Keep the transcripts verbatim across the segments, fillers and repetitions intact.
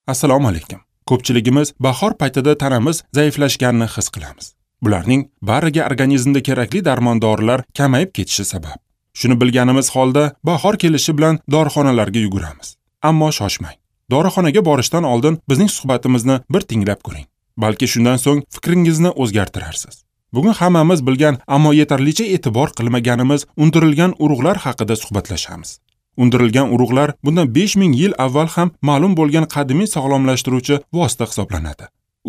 Assalomu alaykum. Ko'pchiligimiz bahor paytida tanamiz zaiflashganini his qilamiz. Bularning bariga organizmda kerakli darmon dorilar kamayib ketishi sabab. Shuni bilganimiz holda bahor kelishi bilan dorixonalarga yuguramiz. Ammo shoshmang. Dorixonaga borishdan oldin bizning suhbatimizni bir tinglab ko'ring. Balki shundan so'ng fikringizni o'zgartirarsiz. Bugun hammamiz bilgan, ammo yetarlicha e'tibor qilmaganimiz undirilgan urug'lar haqida suhbatlashamiz. Undirilgan urug'lar bundan besh ming yil avval ham ma'lum bo'lgan qadimiy sog'lomlashtiruvchi vosita hisoblanadi.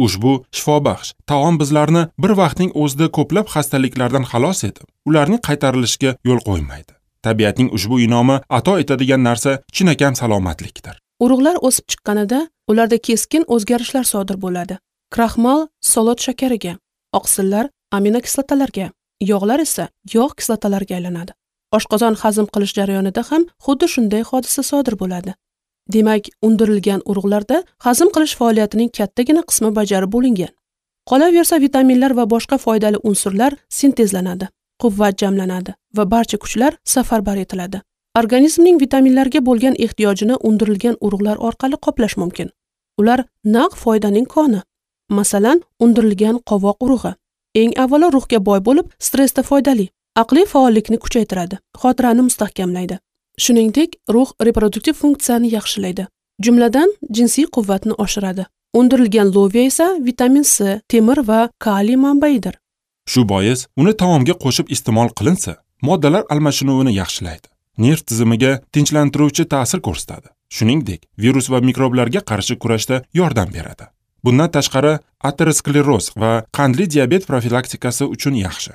Ushbu shifobaxsh taom bizlarni bir vaqtning o'zida ko'plab xastaliklardan xalos etib, ularning qaytarilishiga yo'l qo'ymaydi. Tabiatning ushbu inomi ato etadigan narsa chinakam salomatlikdir. Urug'lar o'sib chiqqanida ularda keskin o'zgarishlar sodir bo'ladi. Kraxmal solot shakariga, oqsillar aminokislotalarga, yog'lar esa yog' kislotalariga aylanadi. Oshqozon hazm qilish jarayonida ham xuddi shunday hodisa sodir bo'ladi. Demak, undirilgan urug'larda hazm qilish faoliyatining kattagina qismi bajarib bo'lingan. Qolaversa, vitaminlar va boshqa foydali unsurlar sintezlanadi, quvvat jamlanadi va barcha kuchlar safarbar etiladi. Organizmning vitaminlarga bo'lgan ehtiyojini undirilgan urug'lar orqali qoplash mumkin. Ular naq foydaning koni. Masalan, undirilgan qovoq urug'i eng avvalo ruhga boy bo'lib, stressda foydali, aqliy faollikni kuchaytiradi, xotirani mustahkamlaydi. Shuningdek, ruh reproduktiv funksiyani yaxshilaydi. Jumladan, jinsiy quvvatni oshiradi. Undirilgan loviya esa vitamin C, temir va kaliy manbaidir. Shu bois, uni taomga qo'shib iste'mol qilinsa, moddalar almashinuvini yaxshilaydi. Nerv tizimiga tinchlantiruvchi ta'sir ko'rsatadi. Shuningdek, virus va mikroblarga qarshi kurashda yordam beradi. Bundan tashqari, ateroskleroz va qandli diabet profilaktikasi uchun yaxshi.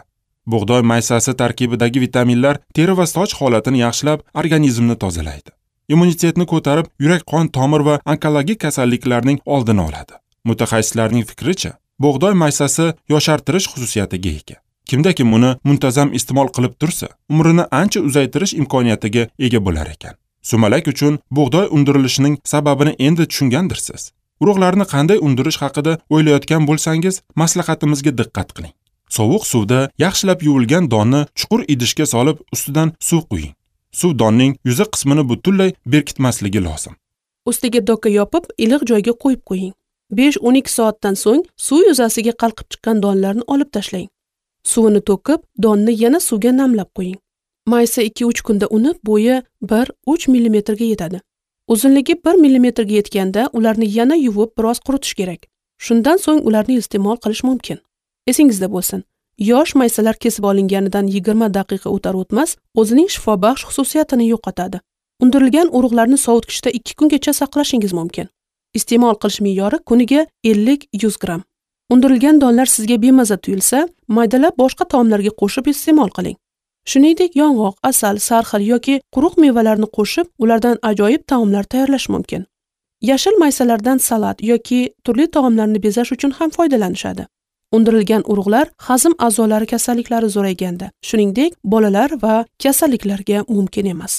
Bug'doy maysasi tarkibidagi vitaminlar teri va soch holatini yaxshilab, organizmni tozalaydi. Immunitetni ko'tarib, yurak-qon tomir va onkologik kasalliklarning oldini oladi. Mutaxassislarning fikricha, bug'doy maysasi yoshartirish xususiyatiga ega. Kimda kim uni muntazam iste'mol qilib tursa, umrini ancha uzaytirish imkoniyatiga ega bo'lar ekan. Sumalak uchun bug'doy undirilishining sababini endi tushungandirsiz. Urug'larni qanday undirish haqida o'ylayotgan bo'lsangiz, maslahatimizga diqqat qiling. Sovuq suvda yaxshilab yuvilgan donni chuqur idishga solib, ustidan suv quying. Suv donning yuza qismini butunlay berkitmasligi lozim. Ustiga doka yopib, iliq joyga qo'yib qo'ying. besh o'n ikki soatdan so'ng suv yuzasiga qalqib chiqqan donlarni olib tashlang. Suvini to'kib, donni yana suvga namlab qo'ying. Maysa ikki uch kunda unib, bo'yi bir uch millimetrga yetadi. Uzunligi bir millimetrga yetganda ularni yana yuvib biroz quritish kerak. Shundan so'ng ularni iste'mol qilish mumkin. Esingizda bo'lsin, yosh maysalar kesib olinganidan yigirma daqiqa o'tar o'tmas o'zining shifobaxsh xususiyatini yo'qotadi. Undirilgan urug'larni sovutgichda ikki kungacha saqlashingiz mumkin. Iste'mol qilish me'yori kuniga ellik yuz gramm. Undirilgan donlar sizga bemaza tuyulsa, maydalab boshqa taomlarga qo'shib iste'mol qiling. Shuningdek, yong'oq, asal, sarxil yoki quruq mevalarni qo'shib, ulardan ajoyib taomlar tayyorlash mumkin. Yashil maysalardan salat yoki turli taomlarni bezash uchun ham foydalanishadi. Undirilgan urug'lar hazm a'zolari kasalliklari zo'rayganda, shuningdek, bolalar va kasalliklarga mumkin emas.